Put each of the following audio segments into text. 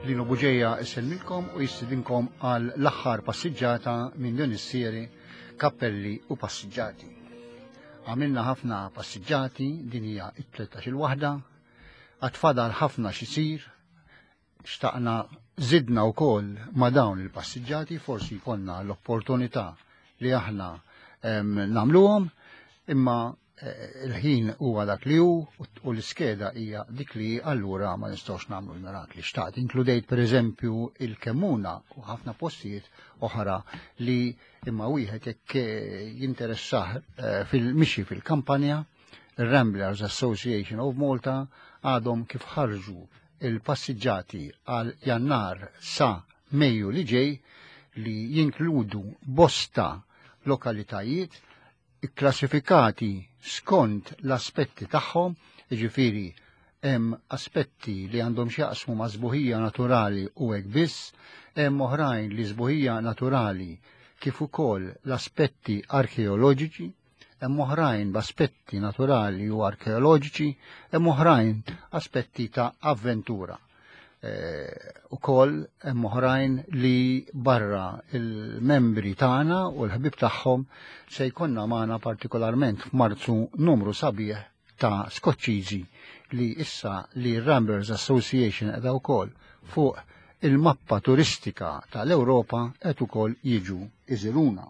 Lino Buġeja isellmilkom u jistidinkom għal l-aħħar passiġġata minn din is-seri Kappelli u Passiġġati. Għamilna ħafna passiġġati, din hija it-13 il-waħda, għad fadal ħafna xisir, xtaqna zidna wkoll ma' dawn il-passiġġati, forsi jkollna l-opportunità li aħna nagħmluhom, imma eh, il-ħin huwa dak li hu u l-iskeda hija dik li allura ma nistgħux nagħmlu l-mirakli. Xtaqt inkludejt pereżempju il-Kemmuna u ħafna postijiet oħra li imma wieħed jekk eh, jinteressah eh, fil-mixi fil-kampanja, il-Ramblers Association of Malta għadhom kif ħarġu il-passiġġati għal Jannar sa Mejju li ġej li jinkludu bosta lokalitajiet ikklassifikati skont l-aspetti tagħhom, jiġifieri hemm aspetti li għandhom x'jaqsmu ma' sbuħija naturali u hekk biss, hemm oħrajn li sbuħija naturali kif ukoll l-aspetti arkeoloġiċi, hemm oħrajn b'aspetti naturali u arkeoloġiċi, hemm oħrajn aspetti ta' avventura. Eh, ukoll hemm oħrajn li barra il-membri tagħna u l-ħbib tagħhom se jkollna magħna partikolarment f'Marzu numru sabiħ ta' Skoċċiżi li issa li Ramblers Association qiegħda wkoll fuq il-mappa turistika tal-Ewropa qed ukoll jiġu iżiruna.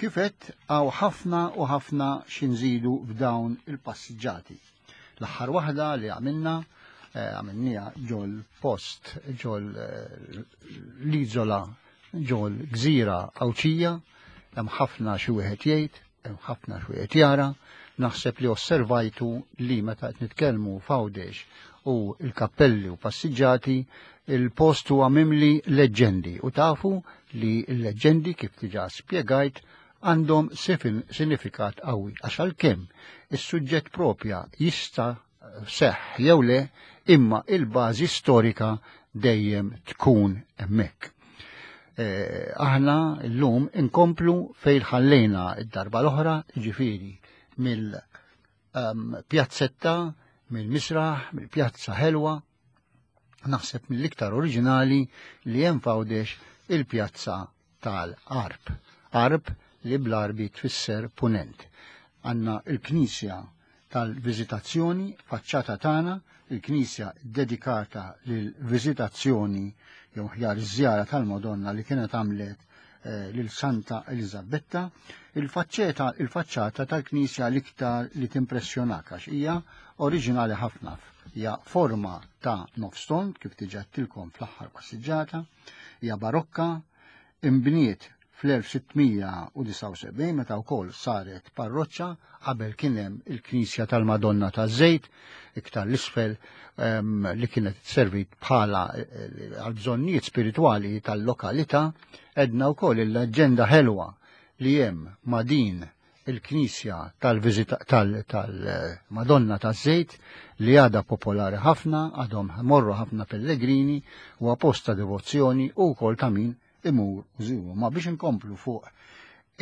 Kif għedt hawn ħafna u ħafna xi nżidu f'dawn il-passiġġati. L-aħħar waħda li għamilna eh, għamilniha ġol post, ġol eh, l-iżola, ġol gżira Għawdxija, hemm ħafna xi wieħed jgħid, hemm ħafna xi wieħed jara, naħseb li osservajtu li meta qed nitkellmu f'Għawdex u l-kappelli u passiġġati, il-post huwa mimli leġġendi u tafu li l-leġġendi kif diġà spjegajt għandhom sinifikat qawwi għax għalkemm is-suġġett propja jista' seħħ jew le imma il-bażi storika dejjem tkun hemmhekk. Eh, aħna llum inkomplu fejn ħallejna id-darba l-oħra, ġifieri mill-pjazzetta, ehm, mill-misraħ, mill-pjazza ħelwa, naħseb mill-iktar oriġinali li hemm f'Għawdex il-pjazza tal-Arb. Arb li bl-Arbi tfisser punent. Għandna il-Knisja tal-Viżitazzjoni faċċata tagħna, il-Knisja dedikata lill-Viżitazzjoni jew ħjar iż-żjara tal-Madonna li kienet għamlet eh, lil Santa Elizabetta, il-faċċeta il-faċċata tal-Knisja l-iktar li timpressjonak għax hija oriġinali ħafna. Hija forma ta' nofs tond kif diġà għedtilkom fl-aħħar passiġġata, hija barokka, imbniet fl-1679 meta wkoll saret parroċċa qabel kien hemm il-Knisja tal-Madonna taż-Żejt iktar l-isfel ehm, li kienet servit bħala eh, għal bżonnijiet spiritwali tal-lokalità, edna wkoll il-leġġenda ħelwa li hemm ma' din il-Knisja tal-Madonna taż-Żejt li għadha popolari ħafna, għadhom morru ħafna pellegrini u apposta devozzjoni u wkoll ta' min imur u żuru. Ma biex inkomplu fuq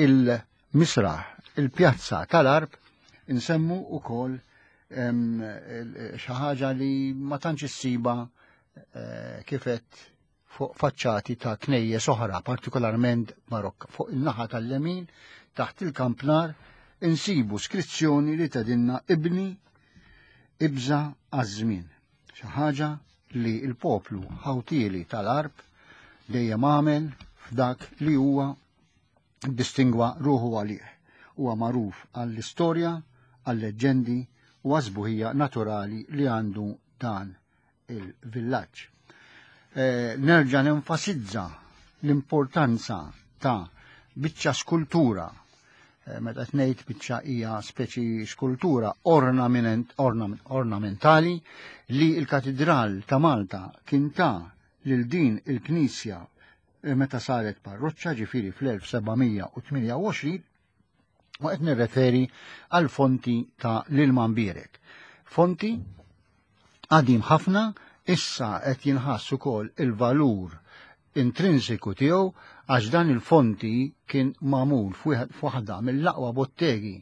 il-misraħ, il-pjazza tal-Arb, insemmu ukoll xi ħaġa li ma tantx issiba eh, kifet fuq faċċati ta' knejjes oħra, partikolarment barokka. Fuq il-naħa tal-lemin, taħt il-kampnar, insibu skrizzjoni li tedinna ibni ibża għaż-żmien. Xi ħaġa li l-poplu ħawtieli tal-Arb dejjem għamel f'dak li huwa distingwa ruħu għalih. Huwa magħruf għall-istorja, għall-leġġendi u għaż-sbuħija naturali li għandu dan il-villaġġ. Eh, nerġa' nenfasizza l-importanza ta' biċċa skultura eh, meta ngħid biċċa hija speċi skultura ornamentali li l-Katidral ta' Malta kien ta' lil din il-knisja eh, meta saret parroċċa ġifieri fl-1728 u qed nirreferi għal fonti ta' l-ilma mbierek. Fonti qadim ħafna issa qed jinħass ukoll il-valur intrinsiku tiegħu għax dan il-fonti kien magħmul f'waħda mill-aqwa bottegi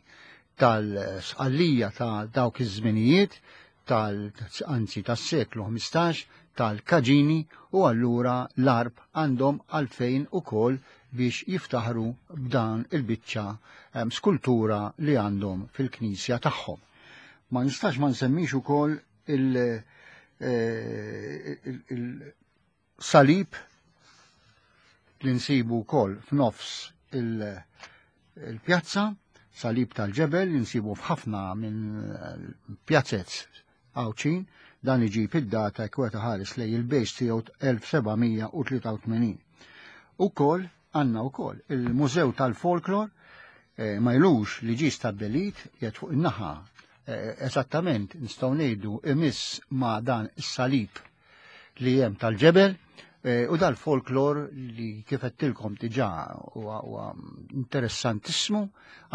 tal-sqallija ta' dawk iż-żminijiet tal anzi tas-seklu 15 tal-Kaġini u allura l-Għarb għandhom għalfejn ukoll biex jiftaħru b'dan il-biċċa skultura li għandhom fil-knisja tagħhom. Ma nistax ma nsemmix ukoll il-salib li nsibu wkoll f'nofs il-pjazza, salib tal-ġebel li nsibu f'ħafna minn pjazzez Għawdxin, dan iġib id-data jekk wieħed iħares lejn il-base tiegħu 1783. Ukoll għandna wkoll il-Mużew tal-Folklor eh, ma ilux li ġie stabbilit jgħid fuq in-naħa eh, eżattament nistgħu ngħidu imiss ma' dan is-salib li hemm tal-ġebel eh, u dal-folklor li kif għedtilkom diġà huwa interessantissimu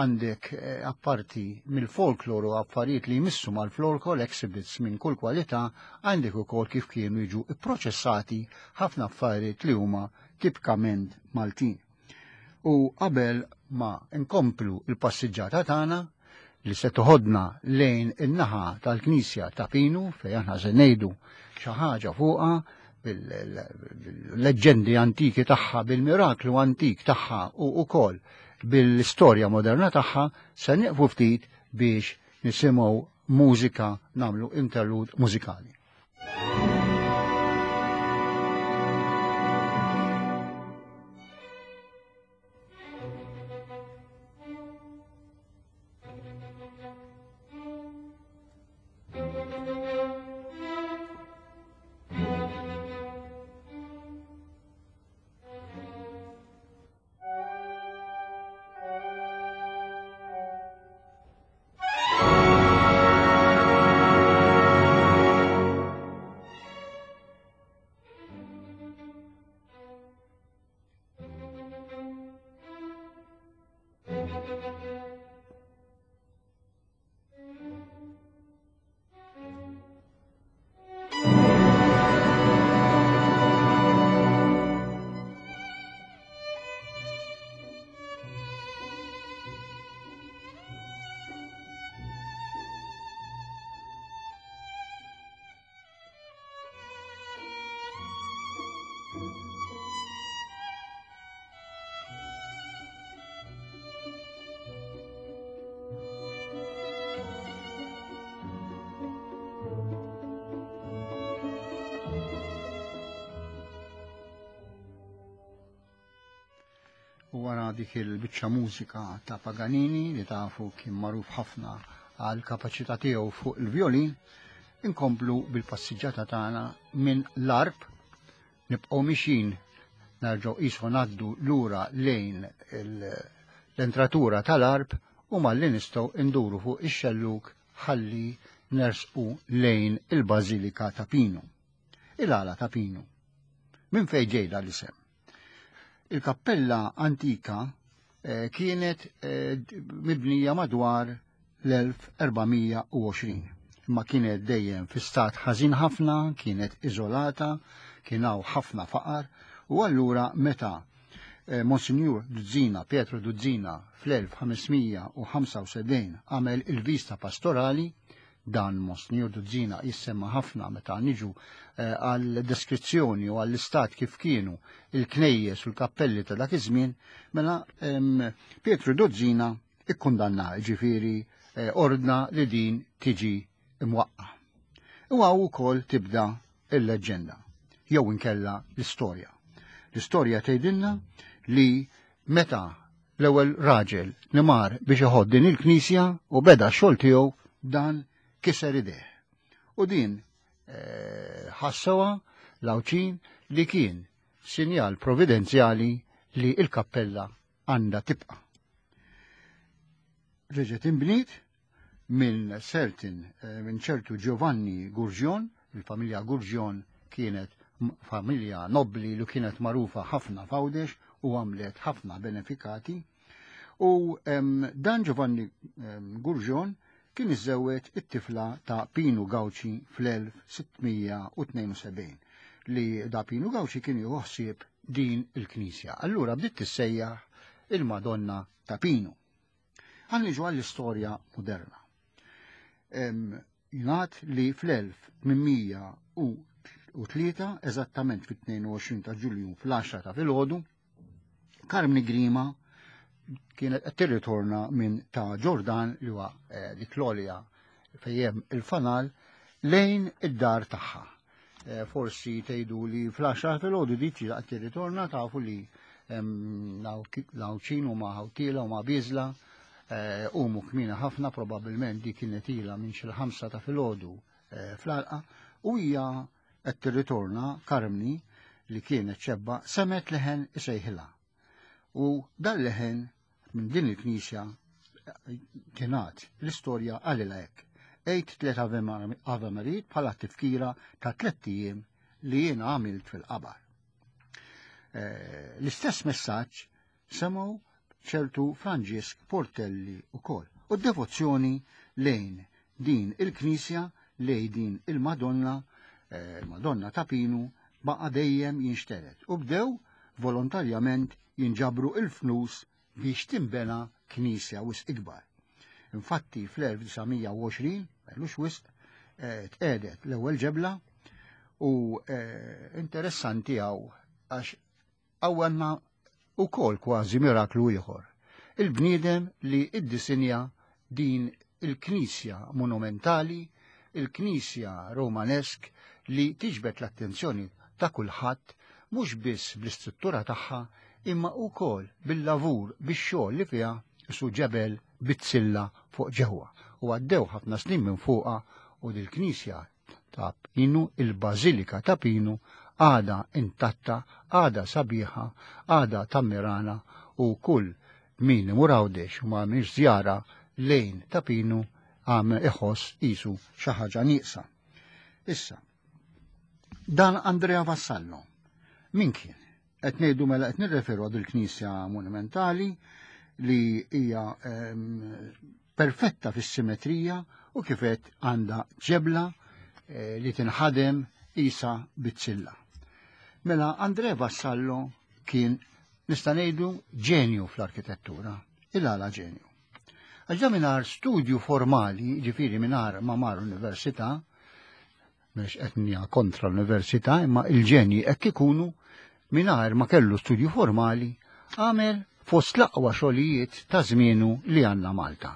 għandek eh, apparti mill-folklor u affarijiet li jmissu mal-folklor exhibits minn kull kwalità għandek ukoll kif kienu jiġu ipproċessati ħafna affarijiet li huma tipikament Maltin. U qabel ma nkomplu il-passiġġata tagħna li se toħodna lejn in-naħa tal-Knisja ta' Pinu fejn aħna se ngħidu xi ħaġa fuqha bil-leġġendi antiki tagħha, bil-miraklu antik tagħha u wkoll bil-istorja moderna tagħha, se nieqfu ftit biex nisimgħu mużika nagħmlu interlude mużikali. U wara dik il-biċċa mużika ta' Paganini li tafu kien magħruf ħafna għal kapaċità tiegħu fuq il-violin, inkomplu bil-passiġġata tagħna minn l-arb nibqgħu mixin nerġgħu qisu ngħaddu lura lejn l-entratura tal-arb u malli nistgħu nduru fuq ix-xellug ħalli nersqu lejn il-Bażilika ta' Pinu. Il-għala ta' Pinu. Minn fejn ġej l-isem? Il-kappella antika eh, kienet eh, mibnija madwar l-1420. Imma kienet dejjem fi stat ħażin ħafna, kienet iżolata, kien hawn ħafna faqar, u allura meta eh, Monsignor Duzzina, Pietro Duzzina, fl-1575 għamel il-vista pastorali, Dan Monsignor Duzzina jissemma ħafna meta niġu eh, għal deskrizzjoni u għall-istat kif kienu il-knejjes u l-kappelli ta' dak iż-żmien, mela Pietru Duzzina ikkundanna ġifieri eh, ordna li din tiġi imwaqqa. U għaw ukoll tibda il-leġġenda, jew inkella l-istorja. L-istorja tgħidilna li meta L-ewwel raġel li mar biex iħodd din il-knisja u beda x-xogħol tiegħu dan kiser idejh. U din eh, ħassewha l-Għawdxin li kien sinjal providenzjali li l-kappella għandha tibqa'. Reġgħet inbniet minn certain eh, minn ċertu Giovanni Gurgion, il-familja Gurgion kienet familja nobbli li kienet magħrufa ħafna f'Għawdex u għamlet ħafna benefikati. U dan Giovanni Gurgion kien iżżewweġ it-tifla ta' Pinu Gauci fl-1672 li da Pinu Gauci kien jieħu ħsieb din il-knisja. Allura bdiet tissejjaħ il-Madonna ta' Pinu. Għan niġu għall-istorja moderna. Jingħad li fl-1803, eżattament fit-22 ta' Ġulju fl-10 ta' filgħodu, Karmni Grima kienet qed tirritorna minn ta' Ġordan li huwa eh, dik l-olja fejn hemm il-fanal lejn id-dar tagħha. Eh, forsi tgħidu li fl-10 filgħodu dik qed tirritorna tafu li l-Għawdxin huma ħawtiela u ma biżla eh, umu kmina ħafna probabbilment dik kienet ilha minn xi ħamsa ta' filgħodu eh, fl-għalqa u hija qed tirritorna Karmni li kienet xebba semet leħen isejħilha. U dan leħen minn din il-knisja tingħad l-istorja qalilha hekk. Għid tliet Ave Marid bħala tifkira ta' tlett ijiem li jiena għamilt fil-qabar. Eh, l-istess messaġġ semgħu ċertu Franġisk Portelli ukoll. U d-devozzjoni lejn din il-knisja, lejn din il-Madonna, eh, il-Madonna ta' Pinu, baqa' dejjem jinxtered u bdew volontarjament jinġabru il-flus biex tinbena knisja wisq ikbar. Infatti fl-1920, m'ilux wisq, eh, tqegħdet l-ewwel ġebla u eh, interessanti hawn għax għandna wkoll kważi miraklu ieħor. Il-bniedem li iddisinja din il-knisja monumentali, il-knisja romanesk li tiġbed l-attenzjoni ta' kulħadd mhux biss bl-istruttura tagħha imma wkoll bil-lavur bix-xogħol li fiha isu ġebel bizzilla fuq ġewwa u għaddew ħafna snin minn fuqha u dil-knisja ta' Pinu, il-Bażilika ta' Pinu għadha intatta, għadha sabiħa, għadha tammirana u kull min imur Għawdex u ma għamilx żjara lejn ta' Pinu għam iħoss qisu xi ħaġa nieqsa. Issa, dan Andrea Vassallo, min kien? Qed ngħidu mela qed nirreferu għad il-knisja monumentali li hija ehm, perfetta fis-simetrija u kifet għandha ġebla eh, li tinħadem isa bizzilla. Mela Andrea Vassallo kien nista' ngħidu ġenju fl-arkitettura, il-għala ġenju. Għax mingħajr studju formali, ġifieri mingħajr ma mar università, mhux qed kontra l-università, imma il-ġenji hekk ikunu mingħajr ma kellu studju formali, għamel fost l-aqwa xogħlijiet ta' żmienu li għandna Malta.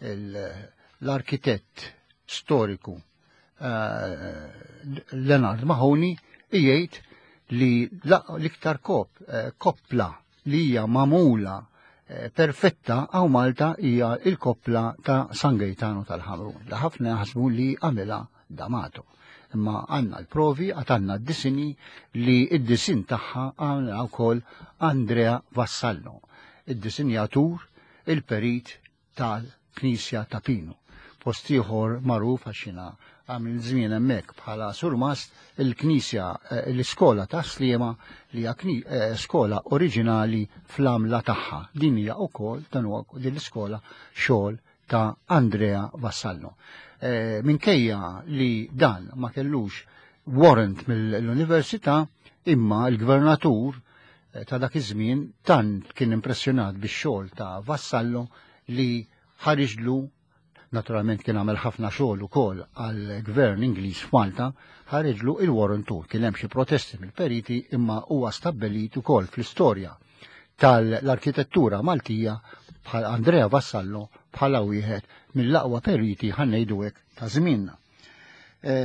L-arkitett storiku eh, Leonard Mahoney jgħid li l-iktar eh, koppla li hija magħmula eh, perfetta għaw Malta hija il-koppla ta' San Gaetano tal-Ħamrun li ħafna jaħsbu li għamilha D'Amato. Imma għandna l-provi, għad għandna d-disini li id-disin tagħha għamilha wkoll Andrea Vassallo, id-disinjatur, il-perit tal-Knisja ta' Pinu. Post ieħor magħruf għax jiena għamil żmien hemmhekk bħala surmast il-Knisja eh, l-iskola ta' Sliema li hija eh, skola oriġinali fl-għamla tagħha. Din hija wkoll dan huwa din l-iskola xogħol ta' Andrea Vassallo. Eh, minkejja li dan ma kellux warrant mill-università, imma l-gvernatur ta' dak iż-żmien tant kien impressjonat bix-xogħol ta' Vassallo li ħariġlu naturalment kien għamel ħafna xogħol ukoll għal gvern Ingliż f'Malta, ħariġlu il-warrant Kien hemm xi protesti mill-periti imma huwa stabbelit ukoll fl-istorja tal-arkitettura Maltija bħal Andrea Vassallo bħala wieħed mill-aqwa periti ħannejdu hekk ta' żmienna. E,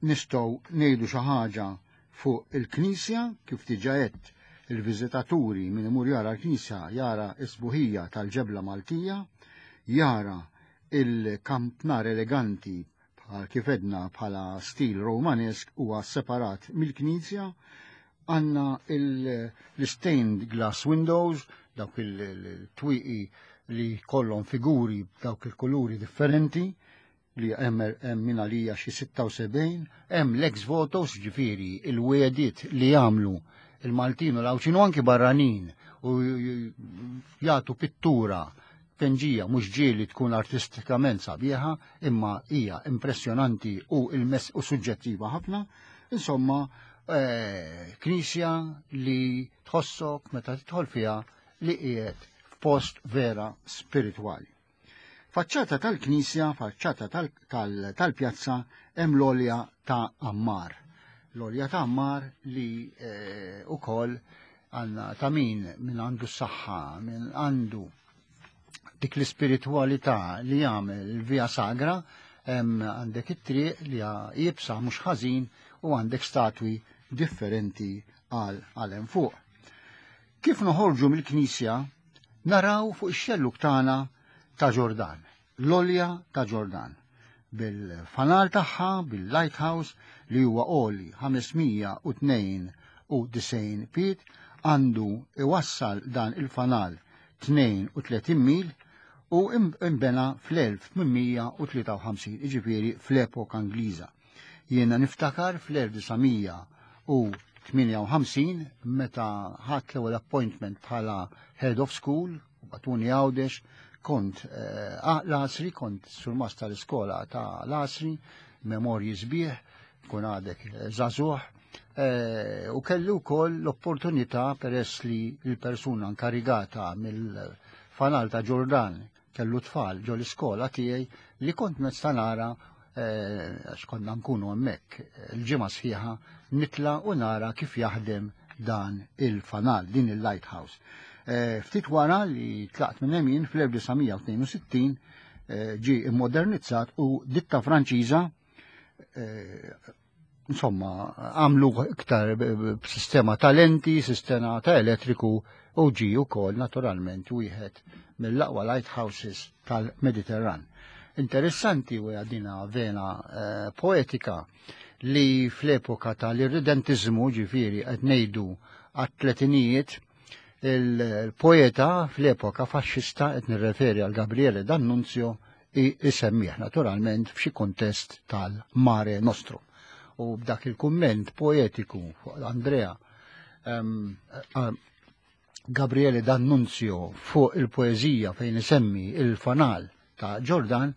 nistgħu ngħidu xi ħaġa fuq il-knisja kif diġà għedt il-viżitaturi min imur jara l-knisja jara s-sbuħija tal-ġebla Maltija, jara il-kampnar eleganti bħal kif edna bħala stil romanesk huwa separat mill-knisja, għandna l-stained glass windows, dawk il-twieqi li kollhom figuri b'dawk il-kuluri differenti, li hemm hemm min għalija xi 76, hemm l-ex votos ġifieri il-wegħdiet li jagħmlu il-Maltin u l-Għawdxin u anki barranin u jagħtu pittura penġija mhux ġieli tkun artistikament sabiħa imma hija impressjonanti u il-mess u suġġettiva ħafna. Insomma, eh, knisja li tħossok meta tidħol fiha li qiegħed f'post vera spiritwali. Faċċata tal-knisja, faċċata tal-pjazza hemm l-olja ta' Ammar. L-olja ta' Ammar li eh, ukoll għandna ta' min min għandu s-saħħa, min għandu dik l-ispiritwalità li jagħmel il-Via Sagra, hemm għandek it-triq li jibsa mhux ħażin u għandek statwi differenti għal hemm fuq. Kif noħorġu mill-knisja, naraw fuq ix-xelluk tagħna ta' Ġordan, l-olja ta' Ġordan, bil-fanal tagħha, bil-lighthouse li huwa għoli 592 pied, għandu iwassal dan il-fanal 32 mil u imbena fl-1853, iġifieri fl-epoka Ingliża. Jiena niftakar fl-1958 meta ħadt l-ewwel appointment bħala head of school u batuni Għawdex, kont eh, l-Asri, kont surmast tal-iskola ta' l-Asri, memorji sbieħ, kun għadek eh, żagħżugħ, eh, u kellu wkoll l-opportunità peress li l-persuna inkarigata mill-fanal ta' Ġordan kellu tfal ġo l-iskola tiegħi li kont nista' nara eh, għax konna nkunu hemmhekk il-ġimgħa sħiħa nitla u nara kif jaħdem dan il-fanal, din il-lighthouse. Ftit wara li tlaqt minn hemm fl-1962 ġi immodernizzat u ditta Franċiża insomma, għamlu iktar b'sistema ta' lenti, sistema ta' elettriku u ġi wkoll naturalment wieħed mill-aqwa lighthouses tal-Mediterran. Interessanti u għadina vena eh, poetika li fl-epoka tal-irredentizmu ġifiri qed ngħidu għat-tletinijiet il-poeta fl-epoka faxxista qed nirreferi għal Gabriele D'Annunzio isemmih naturalment f'xi kontest tal-Mare Nostrum. U b'dak il-kumment poetiku fuq Andrea um, Gabriele D'Annunzio fuq il-poeżija fejn isemmi il-fanal ta' Ġordan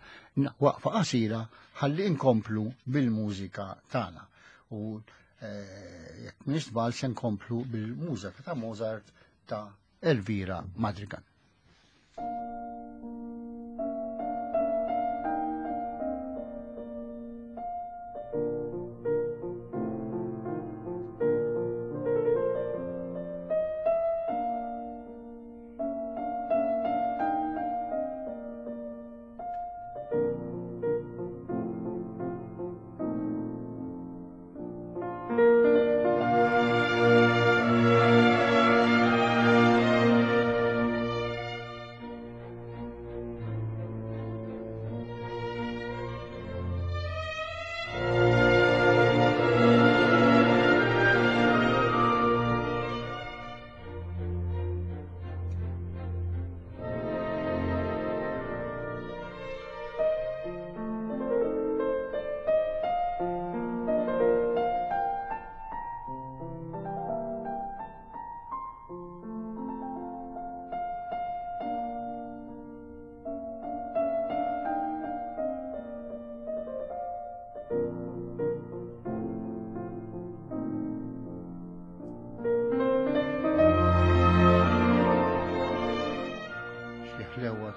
waqfa qasira ħalli inkomplu bil-mużika tagħna. U eh, jekk m'iniex żball se nkomplu bil-mużika ta' Mozart ta' Elvira Madrigal.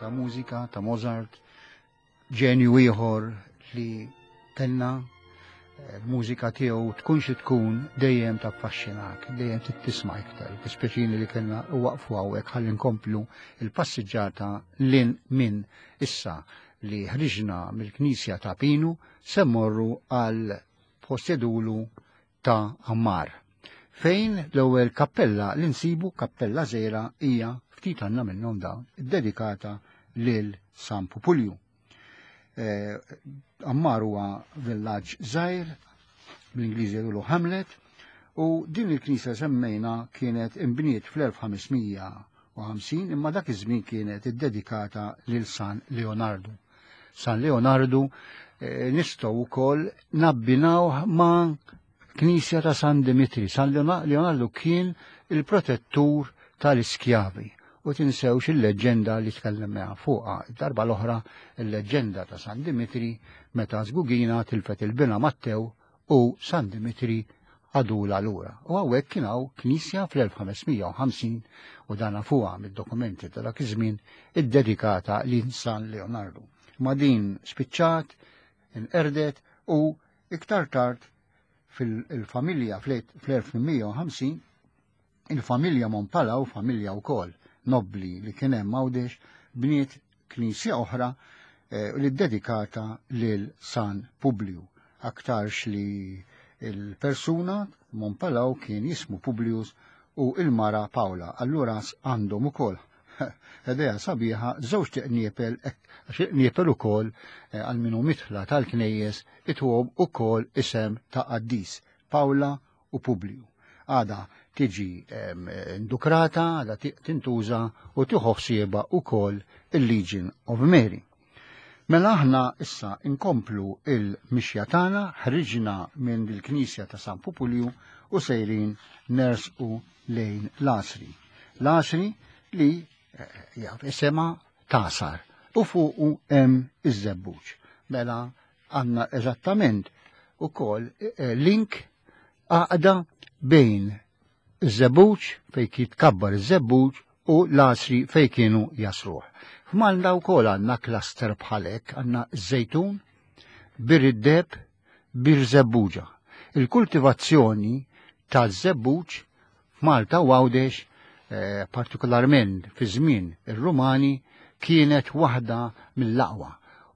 Ta' mużika ta' Mozart, ġenju ieħor li kellna eh, l-mużika tiegħu tkun xi tkun dejjem taffaxxinak, dejjem tisma' iktar. Tispeċini li kellna waqfu hawnhekk ħalli nkomplu il-passiġġata lin minn issa li ħriġna mill-Knisja ta' Pinu se mmorru għal possedulu ta' Ammar. Fejn l-ewwel kappella li nsibu kappella żgħira hija ftit għandna minnhom dawn iddedikata lil San Pupulju. Eh, Ammar huwa villaġġ żgħir, bl-Ingliżi jgħidulu Hamlet, u din il-knisja semmejna kienet imbniet fl-1550 imma dak iż-żmien kienet iddedikata lil San Leonardo. San Leonardo eh, nistgħu wkoll nabbinaw ma' Knisja ta' San Dimitri. San Leonardo kien il-protettur tal-iskjavi u tinsewx il-leġġenda li tkellimna fuqha. Darba l-oħra il-leġġenda ta' San Dimitri meta Żgugina tilfet il-bina Mattew u San Dimitri għadula lura. U hawnhekk kien hawn knisja fl-1550 u dana fuqha mid-dokumenti ta' dak iż-żmien iddedikata lil San Leonardo. Ma din spiċċat, inqerdet u iktar tard fil-familja fl-1850 il-familja Mompalaw, familja wkoll nobbli li kien hemm Għawdex, bniet knisja oħra eh, li ddedikata lil San Publiju. Aktarx li il-persuna Mompalaw kien jismu Publius u il-mara Paula. Allura għandhom ukoll Idea sabiħa, żewġ tiqniepel, għax iqniepel ukoll eh, għal minu mitħla tal-knejjes ituhom ukoll isem ta' qaddis, Pawla u Publiju. Għada tiġi indukrata, għada tintuża u tieħu ħsiebha ukoll il-Legion of Mary. Mela aħna issa inkomplu il-mixja tagħna, ħriġna minn il-Knisja ta' San Pupulju u sejrin nersqu lejn l-Għasri. L-Għasri li eh, jaf isema tasar u fuqu hemm iż-żebbuġ. Mela għandna eżattament ukoll eh, link għaqda bejn iż-żebbuġ fejn jitkabbar iż-żebbuġ u l-għasri fejn kienu jasruh. F'Malta wkoll għandna cluster bħalek, għandna żejtun, bir id-deb, bir żebbuġa. Il-kultivazzjoni ta' żebbuġ f'Malta u Għawdex, eh, partikolarment fi żmien ir-Rumani, kienet waħda mill-aqwa.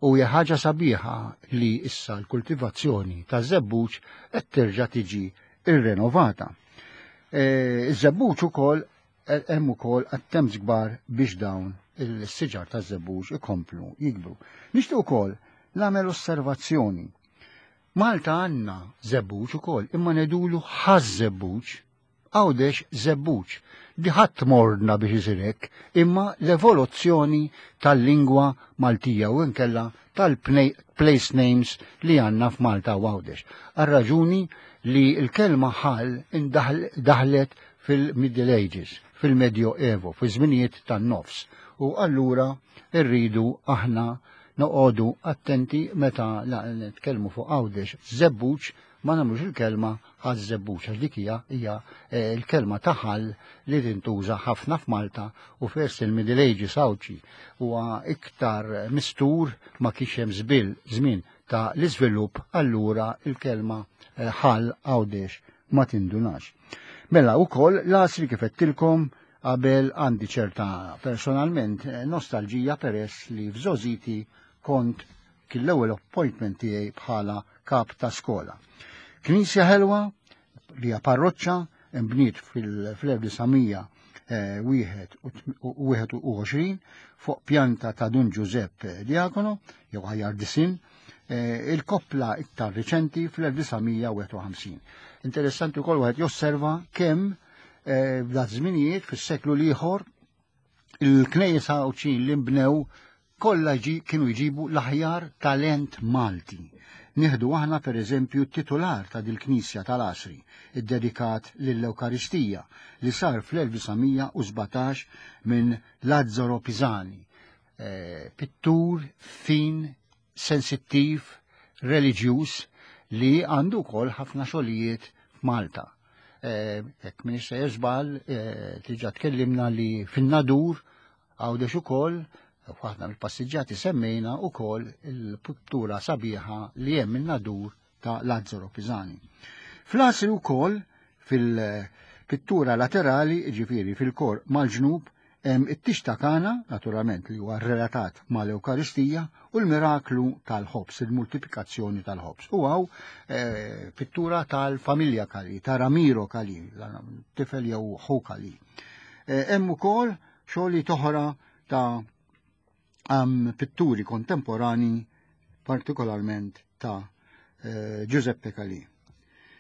U hija ħaġa sabiħa li issa l-kultivazzjoni ta' żebbuġ qed terġa' tiġi irrenovata. Eh, iż-żebbuġ ukoll eh, hemm ukoll attempts kbar biex dawn il-siġar taż-żebbuġ ikomplu jikbru. Nixtieq ukoll nagħmel osservazzjoni. Malta għandna żebbuġ ukoll, imma ngħidulu ħaż-żebbuġ, Għawdex żebbuġ. Di ħadd mordna biex isir hekk, imma l-evoluzzjoni tal-lingwa Maltija u nkella tal-place names li għandna f'Malta u Għawdex. Għar-raġuni li l-kelma ħal daħlet fil-Middle Ages, fil-Medjo Evo, fi żminijiet tan-nofs. U allura rridu aħna noqogħdu attenti meta nitkellmu fuq Għawdex żebbuġ ma nagħmlux il-kelma ħaż-żebbuġ għax dik hija hija eh, l-kelma ta' ħal li tintuża ħafna f'Malta u fers il-Middle Ages Għawdxi huwa iktar mistur ma kienx hemm żbil żmien ta' l-iżvilupp allura il-kelma eh, ħal Għawdex ma tindunax. Mela wkoll l-għasri kif għedtilkom qabel għandi ċerta personalment eh, nostalġija peress li f'żożiti kont kien l-ewwel appointment tiegħi bħala kap ta' skola. Knisja ħelwa li hija parroċċa imbniet fil-1921 fuq pjanta ta' Dun Giuseppe Diacono, jew ħajjar disin, eh, il-koppla iktar riċenti fl-1951. Interessanti wkoll wieħed josserva kemm eh, f'dak żminijiet fis-seklu l-ieħor il-knejjes Għawdxin li nbnew kollha kienu jġibu l-aħjar talent Malti. Nieħdu aħna per eżempju t-titular ta' dil-Knisja tal-Għasri, iddedikat lill-Ewkaristija, li sar fl-1917 minn Lazzaro Pisani, eh, pittur fin, sensittiv, reliġjuż li għandu wkoll ħafna xogħlijiet f'Malta. Eh, jekk minn sejjer żball, eh, diġà tkellimna li fin-Nadur Għawdex ukoll, f'waħda mill-passiġġati semmejna ukoll il-pittura sabiħa li hemm in-Nadur ta' Lazzaro Pisani. Fl-Għasri wkoll fil-pittura laterali, ġifieri fil-kor mal-ġnub, hemm it-tix ta' Kana, naturalment li huwa relatat mal-Ewkaristija, u l-miraklu tal-ħobż, il-multiplikazzjoni tal-ħobż. U hawn eh, pittura tal-familja Kali, ta' Ramiro Kali, tifel jew ħu Kali. Eh, hemm ukoll xogħlijiet oħra ta' pitturi kontemporani, partikolarment ta' eh, Giuseppe Calì.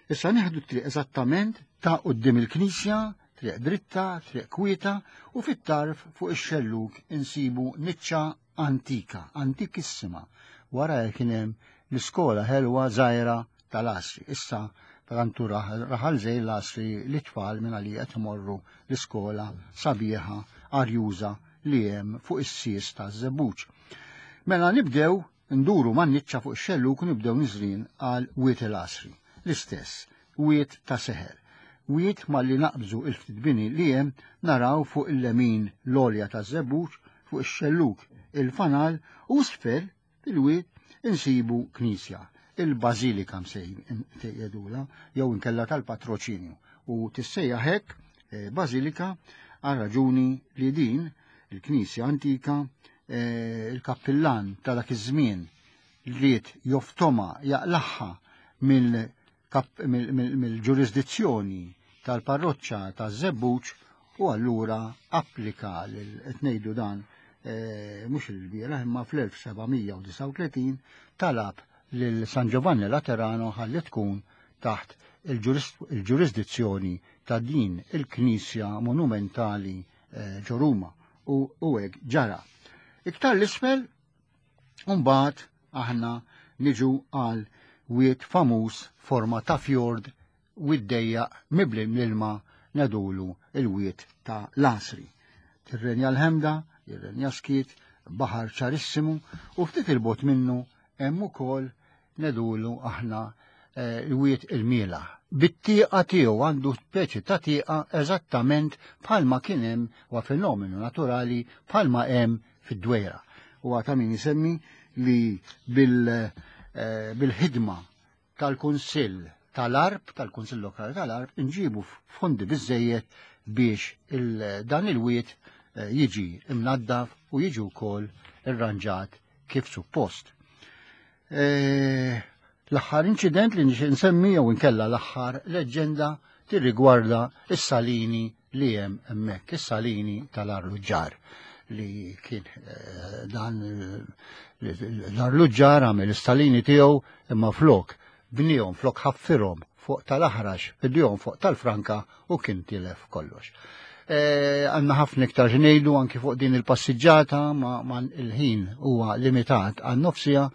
Issa nieħdu triq eżattament ta' qudiem il-knisja, triq dritta, triq kwieta u fit-tarf fuq ix-xellug insibu niċċa antika, antikissima. Wara kien hemm l-iskola ħelwa żgħira tal-Asri. Issa tantu raħal żej l-Asri li tfal minn għalija qed imorru l-iskola sabiħa arjuża li hemm fuq is-sies taż-żebbuġ. Mela nibdew nduru man-niċċa fuq ix-xellug u nibdew niżlin għal Wied il-Għasri. L-istess, wied ta' seħer. Wied malli naqbżu il-ftit bini li hemm naraw fuq il-lemin l-għolja taż-żebbuġ, fuq ix-xellug il-fanal u isfel. Fil-wied insibu knisja, il-Bażilika msejjedula, jew inkella tal-patroċinju, u tissejjaħ hekk eh, Bażilika għal raġuni li din il-knisja antika eh, il-kappillan ta' dak iż-żmien ried joftoma jaqlaħħa mill-ġurisdizzjoni tal-parroċċa taż-Żebbuġ u allura applika lil qed ngħidu dan eh, mhux il-bieraħ imma fl-1739 talab lil San Giovanni Laterano ħalli tkun taħt il-ġurisdizzjoni ta' din il-knisja monumentali eh, ġo Ruma u hekk ġara. Iktar l-isfel mbagħad aħna niġu għal wied famuż forma ta' fjord wied dejjaq mibli l-ilma nedulu il-wied ta' l-Għasri. Tirrenja l-ħemda, jirrenja skiet, baħar ċarissimu u ftit il-bot minnu hemm ukoll nedulu aħna eh, il-wied il-miela. Bit-tieqa tiegħu għandu speċi ta' tieqa eżattament bħalma kien hemm wa fenomenu naturali bħalma hemm fid-dwejra. U ta' min isemmi li eh, bil-ħidma tal-Kunsill tal-Arb, tal-Kunsill Lokali tal-Arb, nġibu fondi biżejjed biex dan il-wiet eh, jiġi imnaddaf u jiġi wkoll irranġat kif suppost. Eh, l-aħħar inċident li nixtieq nsemmi jew inkella l-aħħar leġġenda tirrigwarda is-salini li hemm hemmhekk, is-salini tal-arluġġar li kien eh, dan eh, l-arluġġar għamel is-salini tiegħu imma flok bnihom flok ħaffirhom fuq tal-aħrax, bidihom fuq tal-franka u kien tilef kollox. Eh, għanna ħafna iktar ġnejdu anki fuq din il-passiġġata ma, il-ħin huwa limitat għan nofsija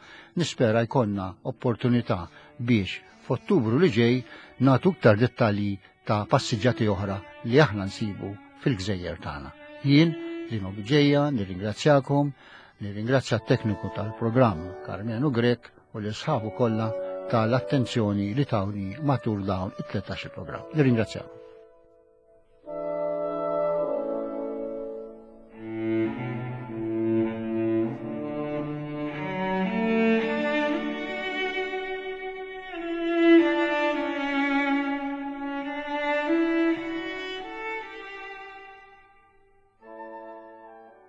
nispera jkollna opportunità biex f'Ottubru li ġej nagħtu iktar dettalji ta' passiġġati oħra li aħna nsibu fil-gżejjer tagħna. Jien Lino Biġeja nirringrazzjakom, nirringrazzja t-tekniku tal-programm Karmenu Grek u l-isħabu kollha tal-attenzjoni li tawni matul dawn it-13 programm. Nirringrazzjakom.